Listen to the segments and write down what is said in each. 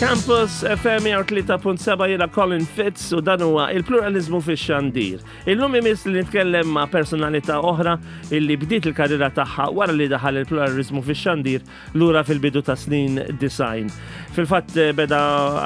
Campus FM 3.7 jiena Colin Fitz u dan huwa il-pluralizmu fix-xandir. Illum imiss li nitkellem ma' personalità oħra illi bdiet il-karriera tagħha wara li daħal il-pluralizmu fix-xandir lura fil-bidu ta' snin design. Fil-fatt eh, beda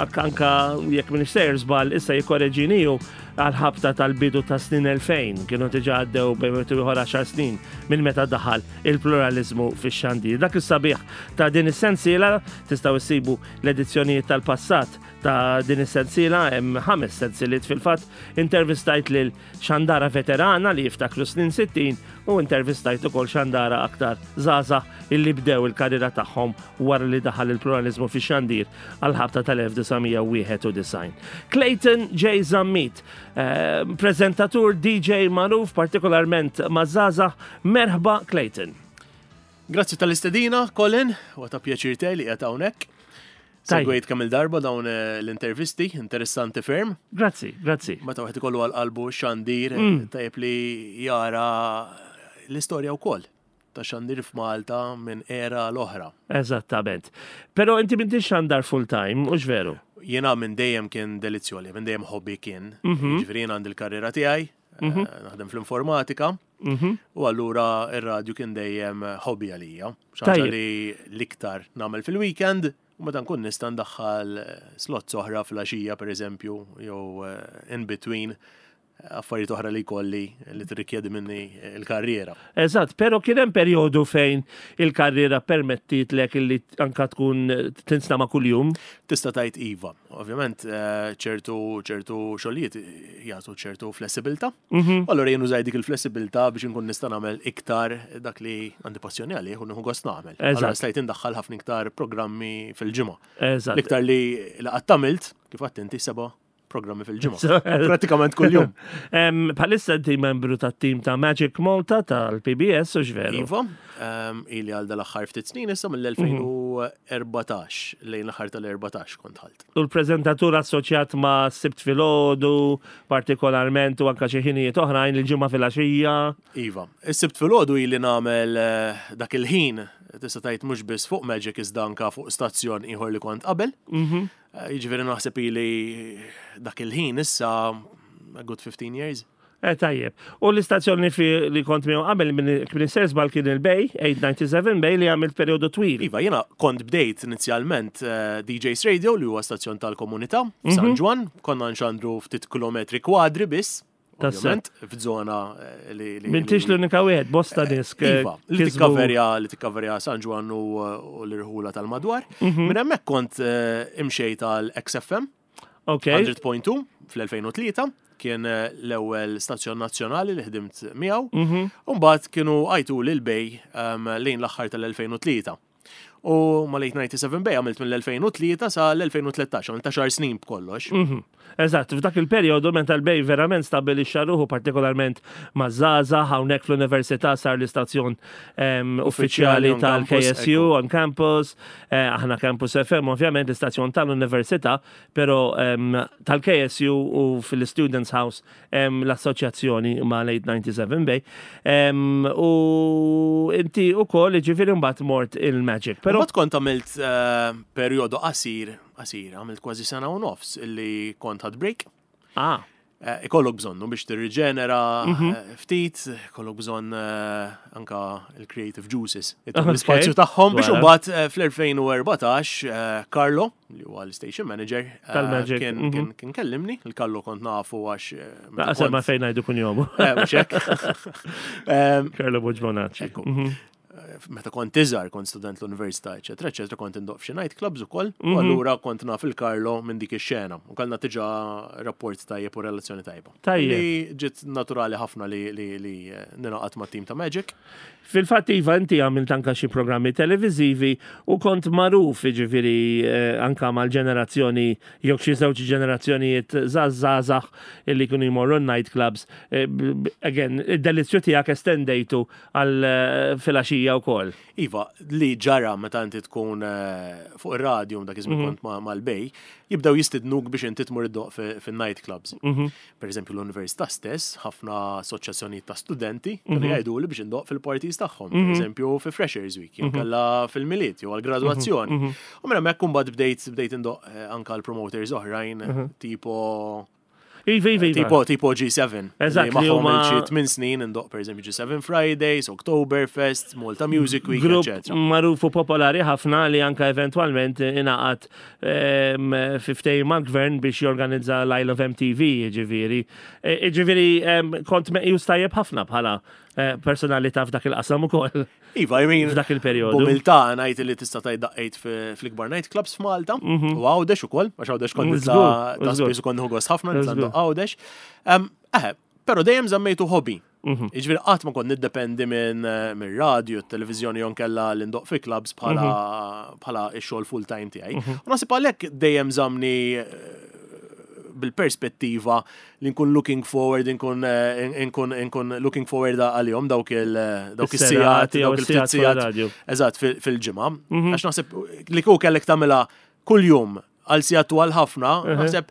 anka jekk minn sejr żball issa jikkoreġini hu għal-ħabta tal-bidu ta' snin 2000 kienu diġà għaddew bejn ieħor 10 snin minn meta daħal il-pluralizmu fix-xandir. Dak is-sabiħ ta' din is-sensiela tistgħu issibu l-edizzjonijiet tal-passat ta' din is-sensiela hemm ħames sensiliet fil-fatt intervistajt lil xandara veterana li jiftakru snin 60 u intervistajt ukoll xandara aktar żgħażagħ illi bdew il-karriera tagħhom wara li daħal il-pluralizmu fix-xandir għal-ħabta tal-1991. Clayton J. Zammit, eh, prezentatur DJ magħruf partikolarment maż-żgħażagħ, merħba Clayton. Grazzi tal-istedina, Colin, u ta' pjaċir tiegħi li qiegħed hawnhekk. Segwejt kemm il-darba dawn eh, l-intervisti, interessanti ferm. Grazzi, grazzi. Meta wieħed ikollu għal qalbu xandir, mm. tajjeb li jara l-istorja wkoll ta' xandir f'Malta minn era l-oħra. Eżattament. Però inti m'intix xandar full time, mhux veru? Jiena minn dejjem kien delizzjoli, minn dejjem hobby kien. Mhm. Ġifieri jien għandi l-karriera tiegħi, mhm. eh, naħdem fl-informatika, mhm. u allura ir-radju kien dejjem hobby għalija. Xaġa li l-iktar nagħmel fil-weekend, u meta nkun nista' ndaħħal slots oħra fil-għaxija pereżempju, jew eh, in between affarijiet oħra li jkolli li tirrikjedi minni l-karriera. Eżatt, però kien hemm perjodu fejn il-karriera permettietlek illi anka tkun tinstama' kuljum? Tista' tgħid iva. Ovvjament eh, ċertu ċertu xogħlijiet jagħtu ċertu flessibilità. Mhm. Allura jien użaj dik il-flessibilità biex inkun nista' nagħmel iktar dak li għandi passjoni għalih u nieħu gost nagħmel. Allura stajt indaħħal ħafna iktar programmi fil-ġimgħa. Eżatt. L-iktar li qatt għamilt, kif għadt inti seba' programmi fil-ġimgħa. Pratikament kuljum. Bħalissa inti membru tat-tim ta' Magic Malta tal-PBS u x'veru. Iva, ili għal dal-aħħar ftit snin issa mill-2014 lejn l-aħħar tal-14 kont ħalt. U l-preżentatur assoċjat ma' Sibt filgħodu, partikolarment u anka xi ħinijiet oħrajn il-ġimgħa filgħaxija. Iva, is-Sibt filgħodu ili nagħmel eh, dak il-ħin tista' tgħid mhux biss fuq Magic iżda anka fuq stazzjon ieħor li kont qabel. Mhm. Eh, jiġifieri naħseb ili dak il-ħin issa a good 15 years. Eh, tajjeb. U l-istazzjoni li kont miegħu qabel minn Sersbal kien il-Bay, 897 Bay li għamilt periodu twil. Iva, jiena kont bdejt inizjalment eh, DJs Radio li huwa stazzjon tal-komunità f'San mhm. Ġwan, konna nxandru ftit kilometri kwadri biss. Ovvjament, f'żona eh, li. Mintix l-unika wieħed, bosta eh, disk. Eh, iva, li tikkaverja li tikkaverja San Ġwan u l-irħula tal-madwar. Mhm. Minn hemmhekk kont imxejt għal XFM. Ok. 100.2 fl-2003 kien l-ewwel stazzjon nazzjonali li ħdimt miegħu. Mhm. U mbagħad kienu għajtu lil bej ehm, lejn l-aħħar tal-2003. U mal-897 Bay għamilt mill-2003 sa l-2013, għamilt 10 snin b'kollox. Mhm. Eżatt, f'dak il-perjodu meta l-Bay verament stabbilixxa ruħu partikolarment ma' żgħażagħ hawnhekk fl-Università sar l-istazzjon ehm, uffiċjali tal-KSU on campus, eh, aħna Campus FM ovvjament l-istazzjon tal-Università, però ehm, tal-KSU u fil-Students House l-assoċjazzjoni ma' l-897 Bay. U inti u koll ġifiri mbagħad mort il-Magic. Pero mbagħad kont għamilt eh, perjodu qasir, qasir, għamilt kważi sena u nofs illi kont ħad break. Ah. Eh, ikollok bżonnu biex tirriġenera mhm. eh, ftit, ikollok bżonn anka il-creative juices, l-ispazju tagħhom biex imbagħad fl-2014 Carlo li huwa l-station manager, eh, tal-Magic. Kien mhm. kien kellimni, il-kallu kont nafu għax. Eh, Naqsem ma fejn ngħidu kun jomu. Eh, mhux hekk. Carlo Boġbonacci. Mhm. Meta kont iżgħar, kont student l-università, eċetera, eċetera, kont indoq f'xi night clubs ukoll, u mhm. allura kont naf il-Carlo minn dik ix-xena. U kellna diġà rapport tajjeb u relazzjoni tajba. Tajjeb. Li ġiet naturali ħafna li li ninaqat mat-tim ta' Magic. Fil-fatt iva inti għamilt anka xi programmi televiżivi u kont magħruf jiġifieri eh, anka mal-ġenerazzjoni jew xi żewġ ġenerazzjonijiet żgħażagħ illi kienu jmorru night clubs. Eh, again, id-delizzju tiegħek estendejtu għal eh, filgħaxija. tmexxija wkoll. Iva, li ġara meta inti tkun fuq ir-radju dak iż-żmien kont mal-Bay, jibdew jistidnuk biex inti tmur iddoqq fin-night clubs. Per eżempju l-università stess, ħafna assoċjazzjonijiet ta' studenti kienu jgħiduli biex indoqq fil-parties tagħhom, per eżempju fi Freshers Week, jew kellha fil-Milied jew għall-gradwazzjoni. U minn hemmhekk imbagħad bdejt bdejt indoqq anke għal promoters oħrajn tipo Iva, iva, iva. Tipo G7. Eżatt, li magħhom huma xi 8 snin indoqq per eżempju G7 Fridays, Oktoberfest, Malta Music Week, Grupp etc. magħruf u popolari ħafna li anka eventwalment ingħaqad fi ftehim mal-gvern biex jorganizza l-Isle of MTV, jiġifieri. Jiġifieri kont meqjus tajjeb ħafna bħala personalità f'dak il-qasam ukoll. Iva, I mean, F'dak il-perjodu. B'umiltà ngħid li tista' tgħid daqqejt fl-ikbar night clubs f'Malta u Għawdex ukoll, għax Għawdex kont nitla' ta' spiss u kont nieħu gost ħafna nitla' ndoqq Għawdex. Eħe, però dejjem żammejtu hobby. Jiġifieri qatt ma kont niddependi minn mir-radju, t-televiżjoni jew nkella li ndoqq fi clubs bħala bħala x-xogħol full time tiegħi. U naħseb għalhekk dejjem żammni bil-perspettiva li nkun looking forward, nkun nkun nkun looking forward għalihom dawk il dawk is-sigħat, Is-serati jew dawk il-ftit is-sigħat fuq sigħat. ir-radju. Eżatt, fil-ġimgħa. Għax naħseb li kieku kellek tagħmilha kuljum għal sigħat twal ħafna, naħseb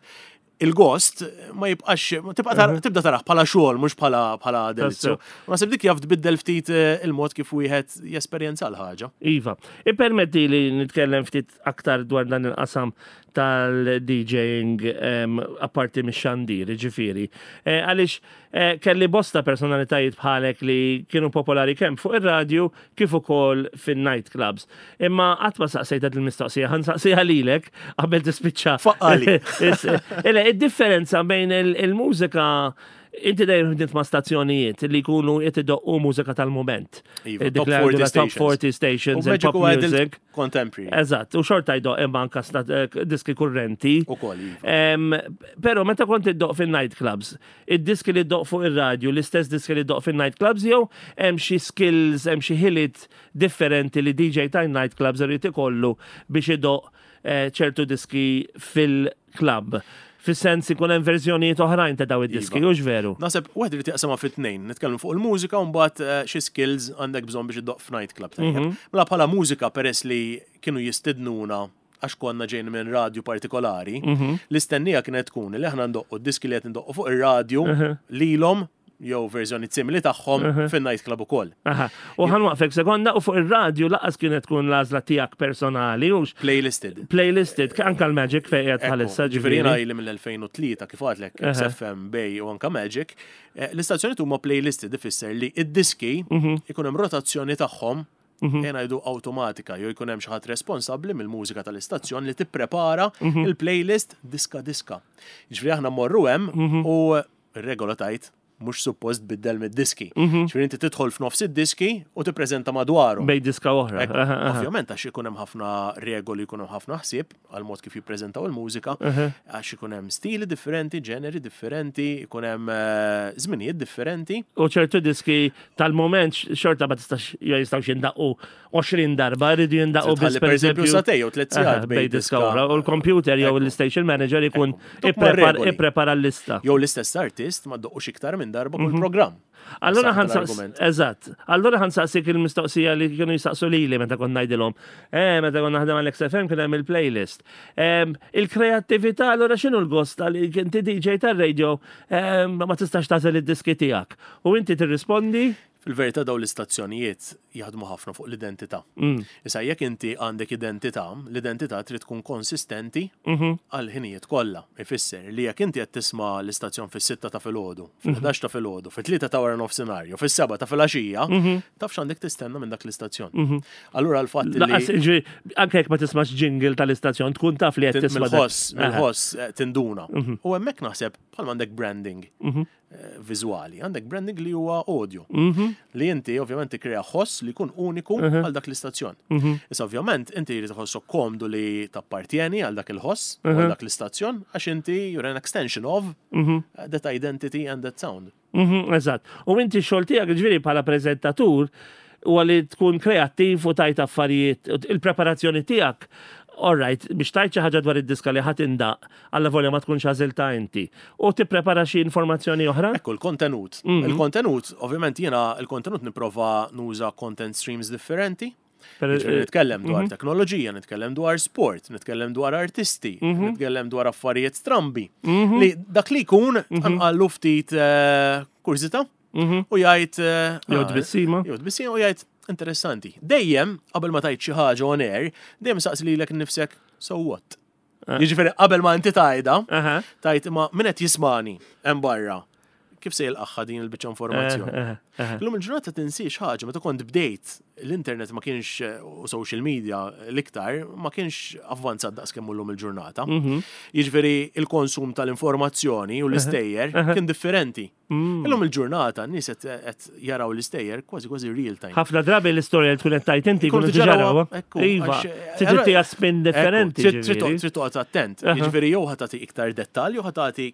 il-gost ma jibqax, tibqa tibda taraħ bħala xogħol mhux bħala bħala delizzju. U naħseb dik jaf tbiddel ftit il-mod kif wieħed jesperjenza l-ħaġa. Iva, ippermetti li nitkellem ftit aktar dwar dan il-qasam tal-DJing apparti mix-xandir, ġifieri. Għaliex kelli bosta personalitajiet bħalek li kienu popolari kemm fuq ir-radju kif ukoll fin-night clubs. Imma qatt ma saqsejt il-mistoqsija, ħa nsaqsiha lilek qabel tispiċċa. Faqqali. Ele, id-differenza bejn il-mużika inti dejjem ħdimt ma' stazzjonijiet li jkunu qed idoqqu mużika tal-moment. Iva, Dik top li 40 għandu la top stations. 40 stations, U Magic il-pop u adult music. Contemporary. Eżatt, u xorta jdoq imma anka diski kurrenti. Ukoll, iva. Pero meta kont iddoq fin-night clubs, id-diski li ddoq fuq ir-radju, l-istess diski li ddoq fin-night clubs jew hemm xi skills, hemm xi ħiliet differenti li DJ ta' night clubs irid ikollu biex idoq ċertu diski fil-club? Fis-sens ikun hemm verżjonijiet oħrajn ta' daw id-diski, Iva. hux veru? Naħseb wieħed irid jaqsamha fit tnejn, nitkellmu fuq il-mużika u mbagħad xi skills għandek bżonn biex iddoq f'night club tajjeb. Mela bħala mużika peress li kienu jistidnuna għax konna ġejn minn radju partikolari, l-istennija kienet tkun li aħna ndoqqu d-diski li qed ndoqqu fuq ir-radju lilhom jew verżjoni simili tagħhom fin-night club ukoll. Aha. U ħa nwaqqfek sekonda u fuq ir-radju lanqas kienet tkun l-għażla tiegħek personali, hux Playlisted. Playlisted, anka l-Magic fejn qiegħed bħalissa Ġifieri jiena ġifieri. ili mill-2003 kif għadlek XFM, Bay u anka Magic, l-istazzjoni huma playlisted ifisser li id-diski ikun hemm rotazzjoni tagħhom jena jgħidu automatika, jew jkun hemm xi ħadd responsabbli mill-mużika tal-istazzjon li tipprepara il-playlist diska diska. Ġifieri aħna mmorru hemm u r-regola tgħid mhux suppost tbiddel mid-diski. Ġifieri inti tidħol f'nofs id-diski u tippreżenta madwaru. Bej diska oħra. Ekku, Aha, aha. Ovvjament għax ikun hemm ħafna regoli, jkun hemm ħafna ħsieb għal mod kif jippreżentaw il-mużika, għax ikun hemm stili differenti, ġeneri differenti, ikun hemm żminijiet differenti. U ċertu diski tal-moment xorta ma tistax jistgħux jindaqqu 20 darba, rridu jindaqqu Tħalli biss per eżempju sagħtejn jew 3 sigħat Aha, bej diska oħra. U l-computer jew l-station manager ikun Dok ma regoli. ipprepara l-lista. Jew l-istess artist ma ddoqqux iktar minn darba kull programm. Allora Saħħa ħa nsaqs, l-argument. eżatt, allora ħa nsaqsik il-mistoqsija li kienu jisaqsu lili meta kont ngħidilhom. Meta kont naħdem għal XFM kien hemm il-playlist. Il-kreattività, allora x'inhu l-gost tal inti DJ tar-radio ma tistax tagħżel id-diski tiegħek. U inti tirrispondi? Fil-verità daw l-istazzjonijiet jaħdmu ħafna fuq l-identità. Issa jekk inti għandek identità, l-identità trid tkun konsistenti għal ħinijiet kollha. Ifisser li jekk inti qed tisma' l-istazzjon fis-6 ta' filgħodu, fil-11 ta' filgħodu, fit-3 ta' wara nofsinhar, jew fis-7 ta' filgħaxija, taf x'għandek tistenna minn dak l-istazzjon. Allura l-fatt li Lanqas, ġifieri, anke jekk ma tismax jingle tal-istazzjon, tkun taf li qed tisma' dak. mill-ħoss, mill-ħoss tinduna. U hemmhekk naħseb bħal għandek branding viżwali, għandek branding li huwa audio. Li inti ovvjament tikkrea ħoss li jkun uniku għal dak l-istazzjon. Issa ovvjament inti jrid tħossok komdu li tappartjeni għal dak il-ħoss u għal dak l-istazzjon għax inti you're an extension of that identity and that sound. Eżatt. U inti x-xogħol tiegħek ġifieri bħala preżentatur u għalli tkun kreattiv u tajt affarijiet, il-preparazzjoni tiegħek. All right, biex tgħid xi ħaġa dwar id-diska li ħa tindaqq, allavolja ma tkunx għażiltha inti. U tipprepara xi informazzjoni oħra? Ekku, l-kontenut. Il-kontenut, ovvjament jiena il-kontenut nipprova nuża content streams differenti. Jiġifieri nitkellem dwar teknoloġija, nitkellem dwar sport, nitkellem dwar artisti, nitkellem dwar affarijiet strambi. Li dak li jkun tqanqallu ftit kurżità u jgħid Jew tbissima. Jew tbissima u jgħid interessanti. Dejjem qabel ma tgħid xi ħaġa on air, dejjem saqsi lilek innifsek so what? Jiġifieri qabel ma inti tgħidha, tgħid imma min qed jismani hemm barra kif se jilqagħha din il-biċċa informazzjoni. Illum il-ġurnata tinsiex ħaġa, meta kont bdejt l-internet ma kienx u social media l-iktar ma kienx avvanzat daqs kemm illum il-ġurnata. Jiġifieri il-konsum tal-informazzjoni u l-istejjer kien differenti. Illum il-ġurnata n-nies qed jaraw l-istejjer kważi kważi real time. Ħafna drabi l-istorja li tkun qed tgħid inti jkunu diġà rawha. Iva, trid ttiha spin differenti. Trid toqgħod attent. Jiġifieri jew ħa tagħti iktar dettall jew ħa tagħti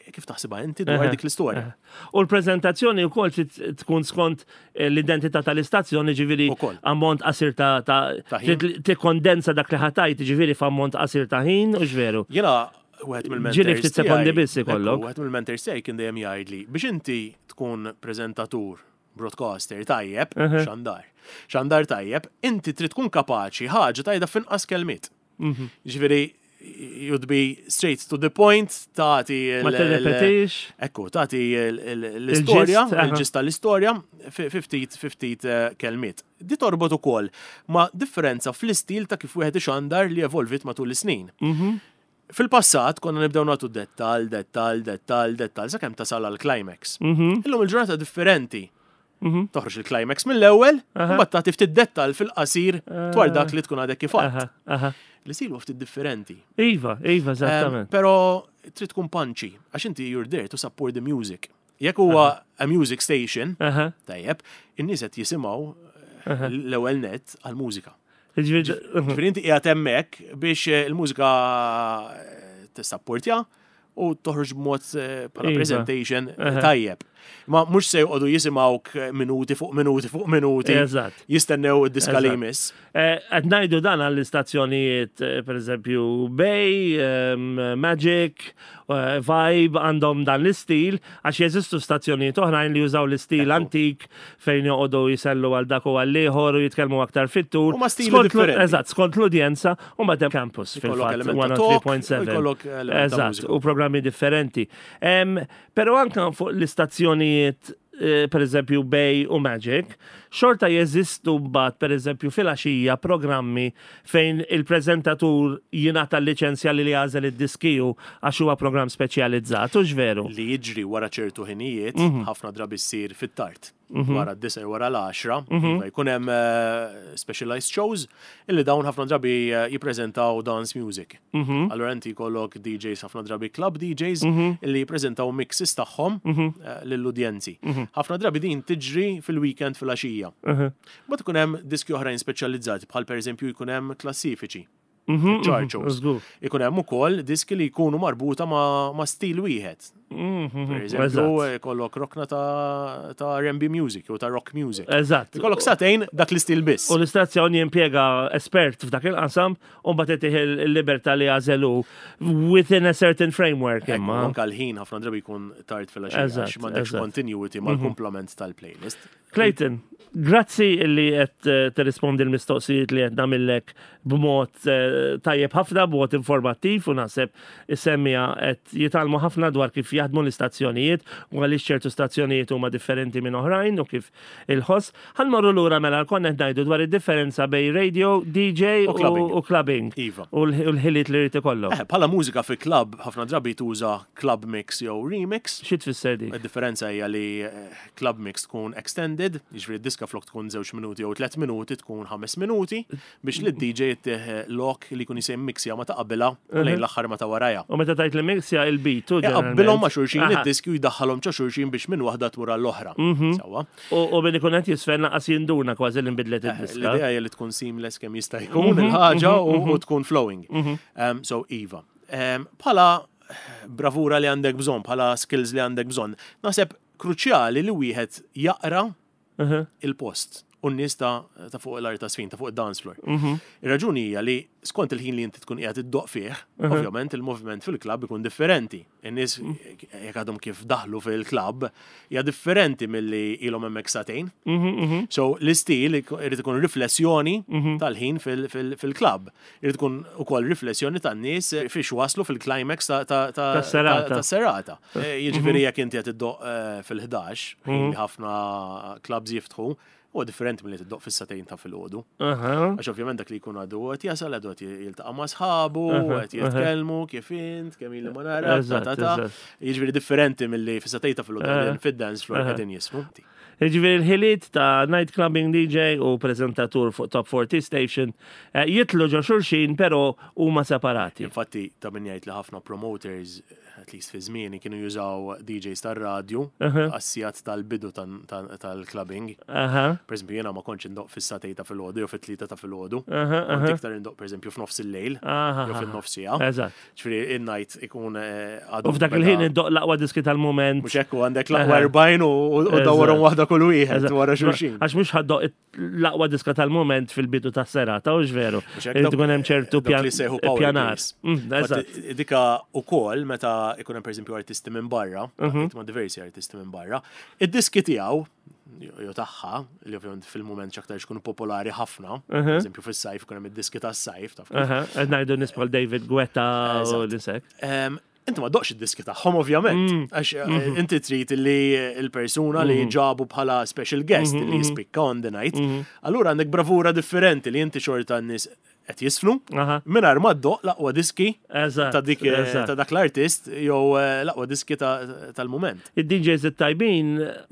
kif taħsibha inti dwar dik l-istorja. U l-preżentazzjoni wkoll trid tkun skont l-identità tal-istazzjoni, ġifieri ammont qasir ta' trid tikkondensa dak li ħa tgħid, ġifieri f'ammont qasir ta' ħin, u veru. Jiena wieħed mill-mentors. Ġieli ftit sekondi biss ikollok. Wieħed mill-mentors tiegħi kien dejjem jgħidli biex inti tkun preżentatur, broadcaster tajjeb, xandar. Xandar tajjeb, inti trid tkun kapaċi ħaġa tgħidha f'inqas kelmiet. Ġifieri you'd be straight to the point, tagħti. Ma tirrepetix. Ekku, tagħti l-istorja, il-gist tal-istorja, ftit ftit kelmiet. Di torbot ukoll ma' differenza fl-istil ta' kif wieħed ixandar li evolvit matul is-snin. Fil-passat konna nibdew nagħtu dettal, dettal, dettal, dettal, sakemm tasal għal climax. Illum il-ġurnata differenti. Toħroġ il-climax mill-ewwel, u mbagħad tagħti ftit dettal fil-qasir dwar dak li tkun għadek kif għedt. L-istil huwa ftit differenti. Iva, eżattament. Però trid tkun punchy, għax inti you're there to support the music. Jekk huwa a music station, tajjeb, in-nies qed jisimgħu l-ewwel net għall-mużika. Ġifieri inti qiegħed hemmhekk biex il-mużika tissapportja u toħroġ b'mod bħala presentation tajjeb. Ma mhux se joqogħdu jisimgħuk minuti fuq minuti fuq minuti. Jistennew id-diska li jmiss. Qed ngħidu dan għall-istazzjonijiet, pereżempju Bay, Magic, Vibe għandhom dan l-istil, għax jeżistu stazzjonijiet oħrajn li jużaw l-istil antik fejn joqogħdu jisellu għal dak u għal ieħor u jitkellmu aktar fit-tul. Huma stili differenti. Eżatt, skont l-udjenza u mbagħad hemm campus fil-fatt 103.7. Eżatt, u programmi differenti. Però anke fuq l-istazzjonijiet per eżempju Bay u Magic, xorta jeżistu mbagħad per eżempju filgħaxija programmi fejn il-preżentatur jingħata l-liċenzja li jagħżel id-diski hu għax huwa programm speċjalizzat, hux veru? Li jiġri wara ċertu ħinijiet, ħafna drabi ssir fit-tard. Wara d-9 jew wara l-10, iva jkun hemm specialized shows illi dawn ħafna drabi jippreżentaw dance music. Allura inti jkollok DJs ħafna drabi club DJs illi jippreżentaw mixes tagħhom lill-udjenzi. Ħafna drabi din tiġri fil-weekend fil-għaxija. Mbagħad ikun hemm diski oħrajn speċjalizzati bħal pereżempju jkun hemm klassifiċi. Chart shows. Ikun hemm ukoll diski li jkunu marbuta ma' stil wieħed. Per eżempju, ikollok rokna ta' R&B music jew ta' rock music. Ikollok sagħtejn dak l-istil biss. U l-istazzjon jimpjega espert f'dak il-qasam u mbagħad itih il-libertà li jagħżel hu within a certain framework imma. Anka l-ħin ħafna drabi jkun tard fil-għaxija għax m'għandekx continuity mal-kumplament tal-playlist. Clayton, grazzi li qed tirrispondi l-mistoqsijiet li qed nagħmillek b'mod tajjeb ħafna, b'mod informattiv u naħseb is-semmiegħa qed jitgħallmu ħafna dwar kif jaħdmu l-istazzjonijiet u għaliex ċertu stazzjonijiet huma differenti minn oħrajn u kif il-ħoss. Ħa nmorru lura mela konna qed ngħidu dwar id-differenza bejn radio, DJ U clubbing. u clubbing. Iva. U l-ħiliet li jrid ikollok. Bħala mużika fi club ħafna drabi tuża club mix jew remix. Xi tfisser dik? Id-differenza hija li club mix tkun extended, jiġifieri d-diska flok tkun 2 minuti jew 3 minuti tkun 5 minuti biex li d-DJ jittih lok li jkun jisejm mixja ma ta' qabilha u lejn l-aħħar ma ta' warajha. U meta tgħid li mixja il-beat u Iqabbilhom ma' xulxin id-diski u jdaħħalhom ġo xulxin biex minn waħda tmur għall-oħra. Sewwa. U min ikun qed jisfen lanqas jinduna kważi li nbidlet id-diska. L-idea hija li tkun seamless kemm jista' jkun il-ħaġa u tkun flowing. So iva. Bħala bravura li għandek bżonn, bħala skills li għandek bżonn, naħseb kruċjali li wieħed jaqra il-post u u n-nies ta' fuq l-art ta' sfin, ta' fuq id-dance floor. Ir-raġuni hija li skont il-ħin li inti tkun qiegħed iddoqq fih, ovvjament il-moviment fil-klabb ikun differenti. In-nies jekk għadhom kif daħlu fil-klabb hija differenti milli ilhom hemmhekk sagħtejn. So l-istil irid ikun riflessjoni tal-ħin fil-klabb. Irid ikun ukoll riflessjoni tan-nies fiex waslu fil-climax tas-serata. Jiġifieri jekk inti qed iddoqq fil-11, ħin li ħafna clubs jiftħu, huwa differenti milli tiddoqq fis-sagħtejn ta' filgħodu. Għax ovvjament dak li jkun għadu qed jasal, għadu qed jiltaqa' ma' sħabu, qed jitkellmu kif int, kemm ili ma narak, ta' ta' ta'. Jiġifieri differenti milli fis-sagħtejn ta' filgħodu qegħdin fid-dance floor qegħdin jismu. Jiġifieri l-ħiliet ta' night clubbing DJ u preżentatur fuq Top 40 Station jidħlu ġo xulxin però huma separati. Infatti ta' min jgħid li ħafna promoters at least fi żmieni kienu jużaw DJs tar-radju għas-sigħat tal-bidu tal-clubbing. Per eżempju, jiena ma kontx indoqq fis-sagħtejn ta' filgħodu jew fit-tlieta ta' filgħodu. Kont iktar indoqq pereżempju f'nofs il-lejl jew fin-nofs siegħa. Ġifieri in-night ikun għadu. U f'dak il-ħin iddoqq l-aqwa diski tal-mument. Mhux hekk, u għandek l-aqwa 40 u dawwarhom waħda kull wieħed wara xulxin. Għax mhux ħa ddoqq l-aqwa diska tal-moment fil-bidu ta' serata, u veru. Irid ikun hemm ċertu pjanar. Dika ukoll meta ikun hemm pereżempju artisti minn barra, ma' diversi artisti minn barra, id-diski tiegħu jew tagħha, li ovvjament fil-mument x'aktar ikunu popolari ħafna, eżempju fis-sajf ikun hemm id-diski tas-sajf, taf kif. Qed ngħidu nies bħal David Guetta u nisek. Inti ma ddoqqx id-diski tagħhom ovvjament, għax inti trid li l-persuna li ġabu bħala special guest li jispikka on the night, allura għandek bravura differenti li inti xorta n-nies qed jisfnu, mingħajr ma ddoqq l-aqwa diski ta' dik ta' dak l-artist jew l-aqwa diski tal-mument. Id-DJs it-tajbin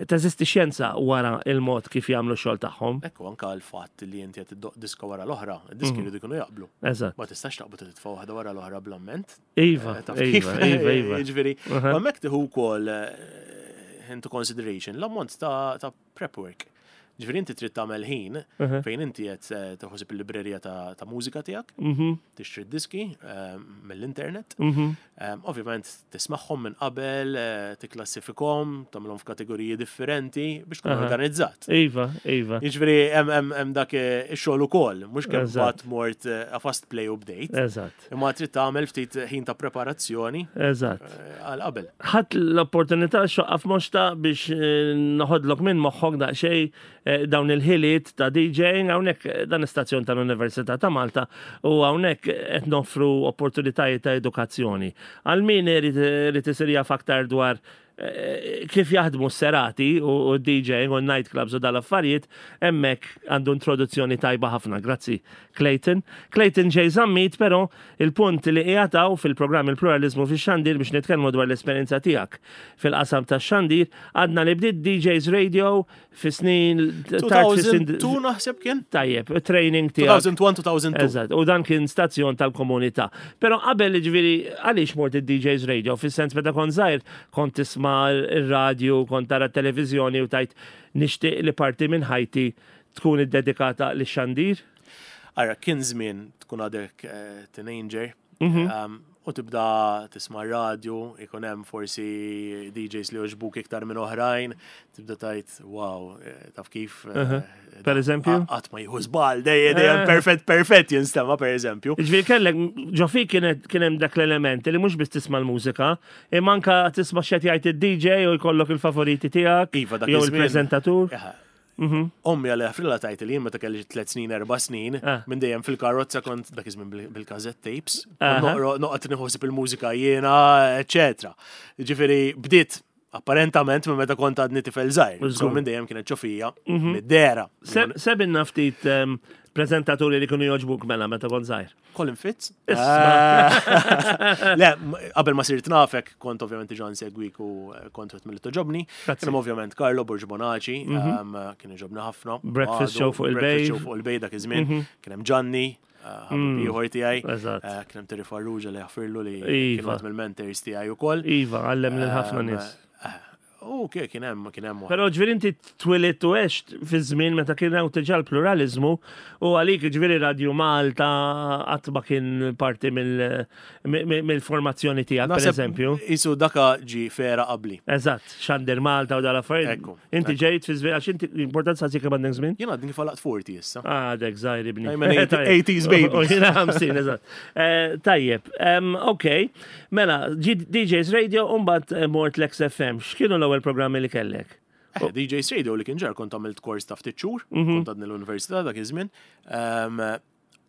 teżisti xjenza wara il-mod kif jagħmlu x-xogħol tagħhom. Ekku anka l-fatt li inti qed iddoqq diska wara l-oħra, id-diski jridu jkunu jaqblu. Ma tistax taqbad titfa' waħda wara l-oħra bl-amment. Iva, iva, iva, iva. Jiġifieri, ma hemmhekk tieħu wkoll into consideration l-ammont ta' prep work. Ġifieri inti trid tagħmel ħin fejn inti qed tieħu il-librerija ta' mużika tiegħek, tixtri diski mill-internet. Ovvjament tismagħhom minn qabel, tikklassifikhom, tagħmilhom f'kategoriji differenti biex tkun organizzat. Iva, iva. Jiġifieri hemm dak ix-xogħol ukoll, mhux kemm bat mort a fast play u bdejt. Imma trid tagħmel ftit ħin ta' preparazzjoni. Għal qabel. Ħadt l-opportunità xoqqa f'moxta biex noħodlok minn moħħok daqsxejn dawn il-ħiliet ta' DJing hawnhekk dan istazzjon tal-Università ta' Malta u hawnhekk qed noffru opportunitajiet ta' edukazzjoni. Għal min irid isir jaf aktar dwar kif jaħdmu s-serati u DJing u nightclubs u dal-affarijiet, hemmhekk għandu introduzzjoni tajba ħafna. Grazzi, Clayton. Clayton J. Zammit, però, il-punt li qiegħataw fil-programm Il-Pluralizmu fix-Xandir biex nitkellmu dwar l-esperjenza tiegħek fil-qasam tax-xandir, għadna li bdiet DJs Radio fi snin tard fi snin 2002 naħseb kien? Tajjeb, training tiegħek. 2001-2002. Eżatt, u dan kien stazzjon tal-komunità. Però qabel ġifieri għaliex mort id-DJs Radio, fis-sens meta kont żgħir kont tisma' ir-radju, kont tara t-televiżjoni u tajt nixtieq li parti minn ħajti tkun iddedikata lix-xandir? Ara, kien żmien tkun għadek teenager, u tibda tisma' radio, ikun hemm forsi DJs li jogħġbuk iktar minn oħrajn, tibda tajt, wow, taf kif. Per eżempju? Qatt ma jieħu żball, dejjem dejjem perfett, perfett jinstema' per eżempju. Ġifieri kellek, ġo fik kien hemm dak l-element li mhux biss tisma' l-mużika, imma anka tisma' x'qed jgħid id-DJ u jkollok il-favoriti tiegħek, Iva, dak jew iż-żmien. il-preżentatur. Eħe. Ommi għalli ħafrila tajt li jien meta kelli 3 snin, 4 snin, minn dejjem fil-karozza kont dak iż-żmien bil-cassette tapes, noqgħod nieħu il-mużika jiena, eċetera. Ġifieri bdiet apparentament minn meta kont għadni tifel żgħir. So minn dejjem kienet ġo fija mid-dera. Sebinna ftit preżentaturi li kienu jogħġbuk mela meta kont żgħir. Colin Fitz. Isma'. Le, qabel ma sirt nafek, kont ovvjament diġà nsegwik u kont wieħed milli togħġobni. Grazzi. Kien hemm ovvjament Carlo Borg Bonaci, kien jogħġobni ħafna. Breakfast Għadu, show fuq il-Bay. Breakfast show fuq il-Bay dak iż-żmien. Kien hemm Gianni, ħabib ieħor tiegħi. Kien hemm Terry Farrugia li jaħfirlu li kien wieħed mill-mentors tiegħi wkoll. Iva, għallem lil ħafna nies. U kien hemm kien hemm. Però ġifieri inti twilidt u għext fi żmien meta kien hawn diġà l-pluraliżmu u għalik ġifieri Radio Malta qatt ma kien parti mill-formazzjoni tiegħek pereżempju. Isu daka ġi fera qabli. Eżatt, Xandir Malta u dal-affarijiet. Inti ġejt fi żmien għax inti importanza sik kemm għandek żmien? Jien għadni kif għalaqt 40 issa. Għadek żgħir ibni. I'm an 80s baby. U jiena 50, eżatt. Eh, tajjeb, ok. Mela, DJs Radio u mbagħad eh, mort l-XFM. X'kienu l-ewwel programmi li kellek? Eh, DJs Radio li kien ġar kont għamilt kors ta' ftit xhur, mhm. kont għadni l-università dak iż-żmien.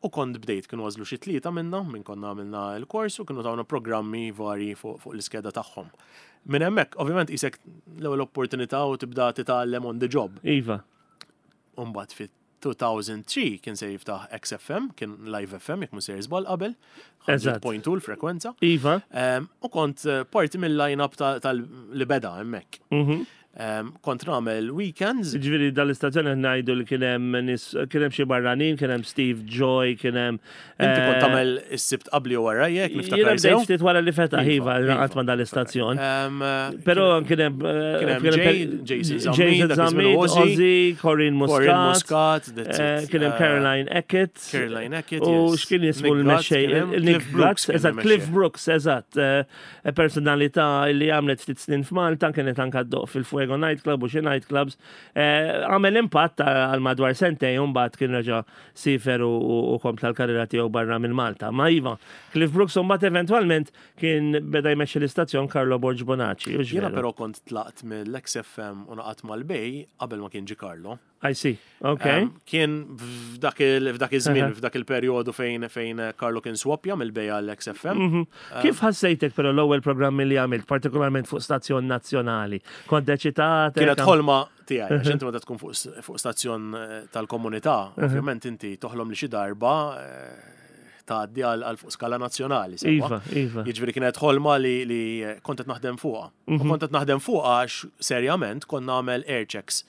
U kont bdejt kienu għażlu xi tlieta minna minn konna għamilna l-kors u kienu tawna programmi varji fuq fuq l-iskeda tagħhom. Minn hemmhekk, ovvjament isek l-ewwel opportunità u tibda titgħallem on the job. Iva. U mbagħad fit-2003 kien se jiftaħ XFM, kien Live FM jekk mhux sejjer żball qabel. Eżatt. 100.2 l-frekwenza. Iva. U kont eh, parti mill-line-up tal-li beda hemmhekk. Mhm. Kont nagħmel weekends. Ġifieri dal-istazzjon qed ngħidu li kien hemm nies kien hemm xi barranin, kien hemm Steve Joy, kien hemm. Inti kont eh, tagħmel is-sibt qabli u wara jekk niftakar sew. Ftit wara li fetaħ iva laqgħat ma' dal-istazzjon. Però kien hemm eh, kien hemm Jason Zammit, Ozzy, Corinne Muscat, eh, kien hemm Caroline Eckett. Caroline Eckett. U x'kien jismu l-mexxej? Nick Brooks, eżatt, Cliff Brooks, eżatt. Personalità li għamlet ftit snin f'Malta, kienet anka ddoq fil-Fuego Nightclub u xi nightclubs. Eh, għamel impatt għal madwar sentejn u mbagħad kien reġa' sifer u kompla l-karriera tiegħu barra minn Malta. Ma iva, Cliff Brooks u mbagħad eventwalment kien beda jmexxi l-istazzjon Carlo Borg Bonaci. Jiena però kont tlaqt mill-XFM u naqat mal-Bay qabel ma kien ġi Carlo. I see, ok. Kien f'dak iż-żmien, f'dak il-perjodu fejn fejn Carlo kien swappja mill-Bay għal XFM. Mhm. Kif ħassejtek però l-ewwel programmi li għamilt, partikolarment fuq stazzjon nazzjonali? Kont eċitat? Kienet ħolma tiegħi, għax inti meta tkun fuq stazzjon eh, tal-komunità, ovvjament inti toħlom li xi darba eh, tgħaddi għal fuq skala nazzjonali. Iva, iva. Jiġifieri kienet ħolma li, li kont qed naħdem fuqha. U mhm. kont qed naħdem fuqha għax serjament kont nagħmel air checks.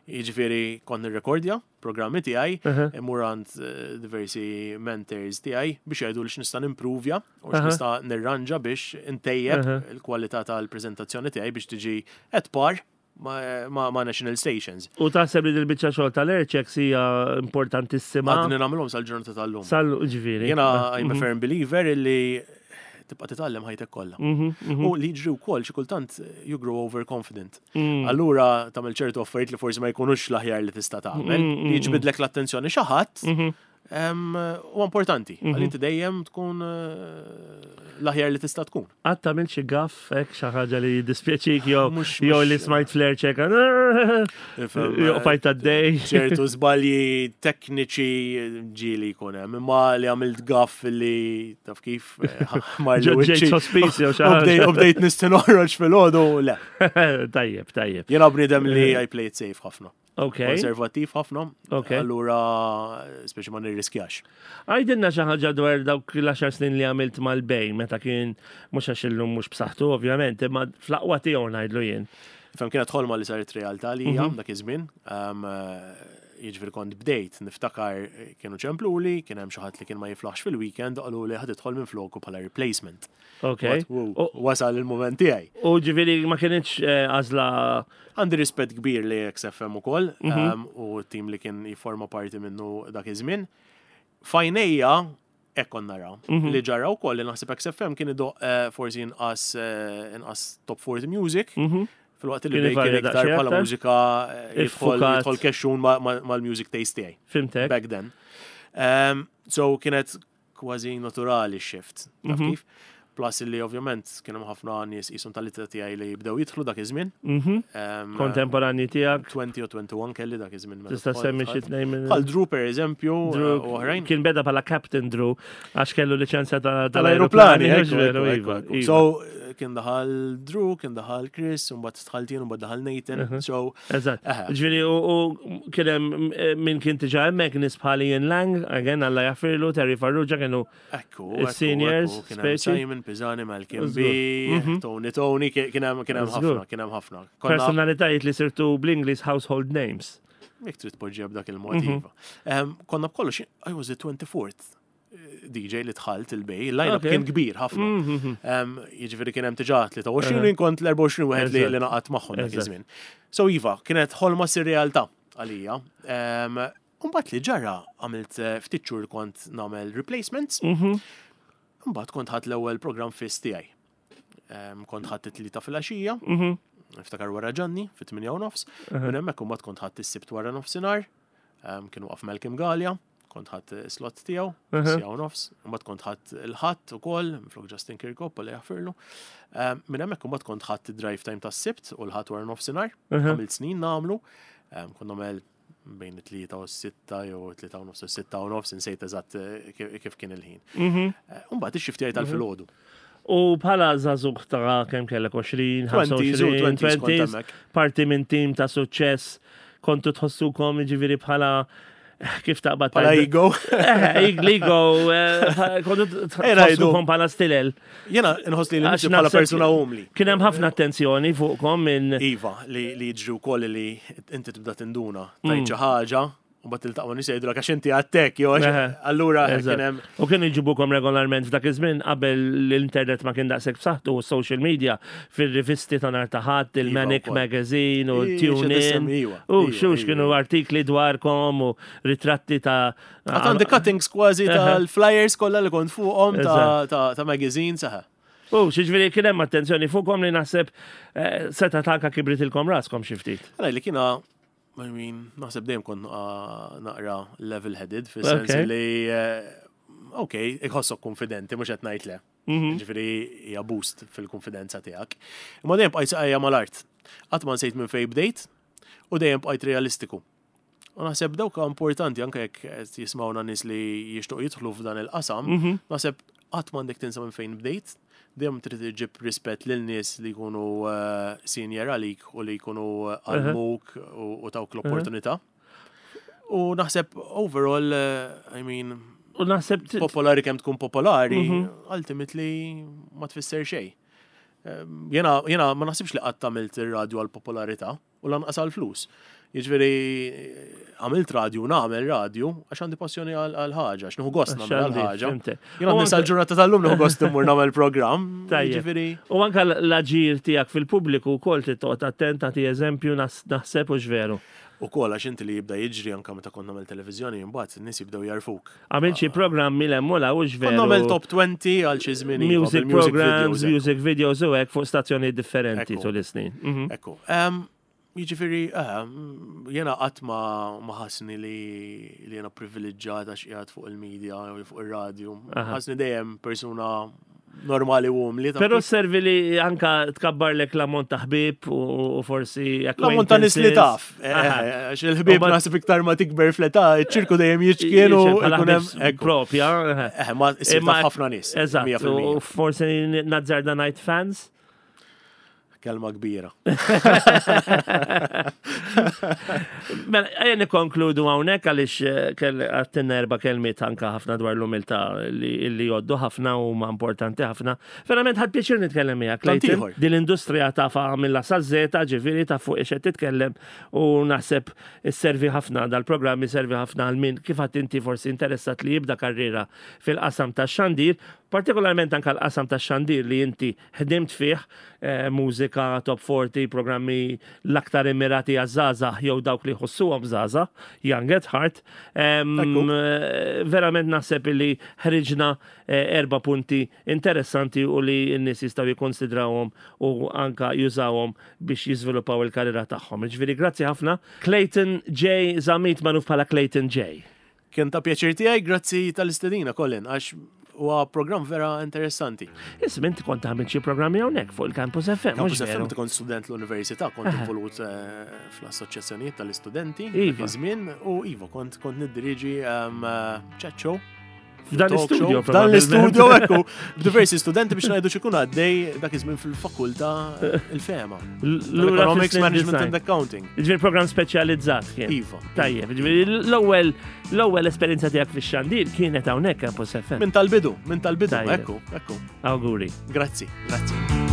Jiġifieri kont nirrekordja programmi tiegħi, immur għand eh, diversi mentors tiegħi biex jgħidu li x'nista' nimpruvja u x'nista' nirranġa biex intejjeb il-kwalità tal-preżentazzjoni tiegħi biex tiġi at par ma' national stations. U taħseb li dil-biċċa xogħol tal-airchecks hija importantissima? Għadni nagħmilhom sal-ġurnata tal-lum. Sal ġifieri. Jiena I'm a mhm. firm believer illi tibqa' titgħallem ħajtek kollha. Mhm, mhm. U li jiġri wkoll xi kultant you grow overconfident. Mm. Allura tagħmel ċertu affarijiet li forsi ma jkunux l-aħjar li tista' tagħmel, mm, mm, li jiġbidlek l-attenzjoni xi ħadd mhm. Huwa importanti, għal mhm. inti dejjem tkun eh, l-aħjar li tista' tkun. Qatt tagħmel xi gaff hekk xi ħaġa li jiddispjaċik jew jew li smajt flair ċeka. Jew fajt għaddej. Ċertu żbalji tekniċi ġieli jkun hemm, imma li għamilt gaff li taf kif eh, Ġejt sospiż jew xi ħaġa. U bdejt nisti noħroġ fil-ħodu, le. Tajjeb, tajjeb. Jiena bniedem li I play it safe ħafna. Ok. Konservattiv ħafna. Ok. Allura, speċi ma nirriskjax. Għajdilna xi ħaġa dwar dawk l-10 snin li għamilt mal-bej meta kien mhux għax illum mhux b'saħħtu ovvjament, imma fl-aqwa tiegħu ngħidlu jien. Fem kienet ħolma li saret realtà li mhm. dak iż-żmien. Jiġifieri kont bdejt niftakar kienu ċempluli, kien hemm xi ħadd li kien ma jiflaħx fil-weekend, qalu li ħad idħol minn floku bħala replacement. Ok. Wasal il-moment tiegħi. U ġifieri ma kienx eh, għażla Għandi rispett kbir li XFM ukoll mhm. u t-tim li kien jifforma parti minnu dak iż-żmien. Fajnejja hekk kont nara. Mhm. Li ġara wkoll li naħseb XFM kien idoq eh, forsi inqas eh, inqas top 40 music. Mhm. Fil-waqt li kien iktar bħala mużika eh, jidħol kexxun mal-music taste tiegħi. Fimtek. Back then. So kienet kważi naturali x-shift. Taf mhm. kif? Plus li ovvjament kien hemm ħafna nies qishom tal-ittra tiegħi li jibdew jidħlu dak iż-żmien. Mhm. Kontemporanji tiegħek. 20 u 21 kelli dak iż-żmien. Tista' semmi xi tnejn minn. Bħal Drew pereżempju u oħrajn. Kien beda bħala Captain Drew għax kellu liċenzja tal-ajruplani. Iva, iva. So kien daħal Drew, kien daħal Chris, u mbagħad dħalt jien u mbagħad daħal Nathan. Mhm. So Eżatt. Ġifieri u kien hemm eh, min kien diġà hemmhekk nies bħal Ian Lang, again Alla jaffirlu, Terry Farrugia kienu Ekku, kien hemm Simon Pisani, Malcolm B, mhm. Tony Tony, kien hemm kien hemm ħafna, kien hemm ħafna. Personalitajiet li sirtu bl-Ingliż household names. Jekk trid tpoġġiha b'dak il-mod mhm. iva. Konna b'kollox, I was the 24th. DJ li dħalt il-Bay, il-line-up kien kbir ħafna. Jiġifieri kien hemm diġà 23 u kont l-24 wieħed li li naqat magħhom dak iż-żmien. So iva, kienet ħolma sir realtà għalija. Mbagħad li ġara għamilt ftit xhur kont nagħmel replacements. Mbagħad kont ħadt l-ewwel programm fiss tiegħi. Kont ħadt it-Tlieta filgħaxija, niftakar wara Ġanni fit-8 u nofs. Minn hemmhekk imbagħad kont ħadt is-Sibt wara nofsinhar, kien waqaf Malcolm Galea, kont ħadt slot tiegħu, siegħa u nofs, imbagħad kont ħadt il-Ħadd ukoll, minflok Justin Kirkop, li jaħfirlu. Minn hemmhekk imbagħad kont ħadt id-drive time tas-Sibt u l-Ħadd wara nofsinhar, għamilt snin nagħmlu, kont nagħmel bejn it-3 u s-6 jew 3 u nofs u 6 u nofs, insejt eżatt kif kien il-ħin. Imbagħad ix-shift tiegħi tal-filgħodu. U bħala żagħżugħ ta' kemm kellek 20, 25, 20, parti minn tim ta' suċċess, kontu tħossukom ġifieri bħala kif taqbad Bħala ego. Ego, kontu tħossukom bħala stilel. Jena nħoss li l bħala persuna umli. Kien hemm ħafna attenzjoni fuqkom minn. Iva, li jiġri wkoll li inti tibda tinduna tajt xi ħaġa u bat tiltaqa' nies jgħidulek għax inti għattek, jew allura kien hemm. U kienu jġibukom regolarment f'dak iż-żmien qabel l-internet ma kien daqshekk b'saħħtu u social media fir-rivisti ta' nhar ta' Ħadd, il-Manic Magazine u Tune In. U xux kienu artikli dwarkom u ritratti ta' Għad għandi cuttings kważi tal-flyers kollha li kont fuqhom ta' magazines. U xiġifieri kien hemm attenzjoni fuqhom li naħseb seta' tanka kibritilkom raskom xi ftit. Għalaj li kiena, I mean, naħseb dejjem kont naqra level-headed, fis-sens li, ok, iħossok konfidenti, mhux qed ngħid le. Ġifieri hija boost fil-konfidenza tiegħek. Imma dejjem bqajt saqajja mal-art. Qatt ma nsejt minn fejn bdejt u dejjem bqajt realistiku. U naħseb dawk importanti anke jekk qed jismawna nies li jixtuq jidħlu f'dan il-qasam, naħseb qatt m'għandek tinsa minn fejn bdejt, dejjem trid iġib rispett lil nies li jkunu senior għalik u li jkunu għallmuk u tawk l-opportunità. U naħseb overall, I mean, U naħseb popolari kemm tkun popolari, ultimately ma tfisser xejn. Jena ma naħsibx li qatt għamilt ir-radju għal popolarità u lanqas għal flus. Jiġifieri għamilt radju, nagħmel radju għax għandi passjoni għal ħaġa, għax nieħu gost nagħmel għal ħaġa. Jien għandi sal-ġurnata tal-lum nieħu gost immur nagħmel programm. Jiġifieri. U anke l-aġir tiegħek fil-pubbliku wkoll trid toqgħod attent tagħti eżempju naħseb u x'veru. Ukoll għax inti li jibda jiġri anke meta kont nagħmel televiżjoni imbagħad in-nies jibdew jarfuk. Għamilt xi programmi l hemm u l hux veru. Kont nagħmel top 20 għal xi żmien. Music programs, music videos u hekk fuq stazzjonijiet differenti tul is-snin. Ekku. Jiġifieri, jiena qatt ma ħassni li jiena privileġġjat għax qiegħed fuq il-media jew fuq ir-radju. Ħassni dejjem persuna normali u umli. Però servi li anka tkabbarlek l-ammont ta' ħbieb u forsi L-ammont ta' nies li taf. Għax il-ħbieb naħseb iktar ma tikber fl-età, iċ-ċirku dejjem jiċkien u ikun hemm propja. Ma issir taf ħafna nies. Eżatt. U forsi nazzarda ngħid fans. Kelma kbira. Mela, ejja nikkonkludu hawnhekk għaliex għattinna erba' kelmiet anka ħafna dwar l-umiltà li jgħoddu ħafna u huma importanti ħafna. Verament ħadt pjaċir nitkellem miegħek, Clayton. Din l-industrija tafa mill-A saż-Z, ġifieri taf fuq ix qed titkellem u naħseb isservi ħafna dal-programm iservi ħafna għal min kif għadt inti forsi interessat li jibda karriera fil-qasam tax-xandir, partikolarment anka l-qasam tax-xandir li inti Ħdimt fih, mużika, top 40, programmi l-aktar immirati għaż-żgħażagħ jew dawk li jħossuhom żgħażagħ, Young at Heart. Verament naħseb li ħriġna erba' punti interessanti u li n-nies jistgħu jikkonsidrawhom u anka jużawhom biex jiżviluppaw il-karriera tagħhom. Jiġifieri grazzi ħafna. Clayton J. Zammit magħruf bħala Clayton J. Kien ta' pjaċir tiegħi, grazzi tal-istedina Colin, għax huwa programm vera interessanti. Isma' inti kont tagħmel xi programmi hawnhekk fuq il-Campus FM. Campus FM kont student l-università, kont involut eh, fl-assoċjazzjonijiet tal-istudenti iva. żmien u iva kont kont niddiriġi ehm, chat show F'dan l-istudio. F'dan l-istudio, ekku, b'diversi studenti biex ngħidu x'ikun għaddej dak iż-żmien fil-fakultà il-fema. L-Economics Management and Accounting. Ġifieri programm speċjalizzat kien. Iva. Tajjeb, ġifieri l-ewwel l-ewwel esperjenza tiegħek fix-xandir kienet hawnhekk Campus FM. Minn tal-bidu, minn tal-bidu, ekku, ekku. Awguri. Grazzi, grazzi.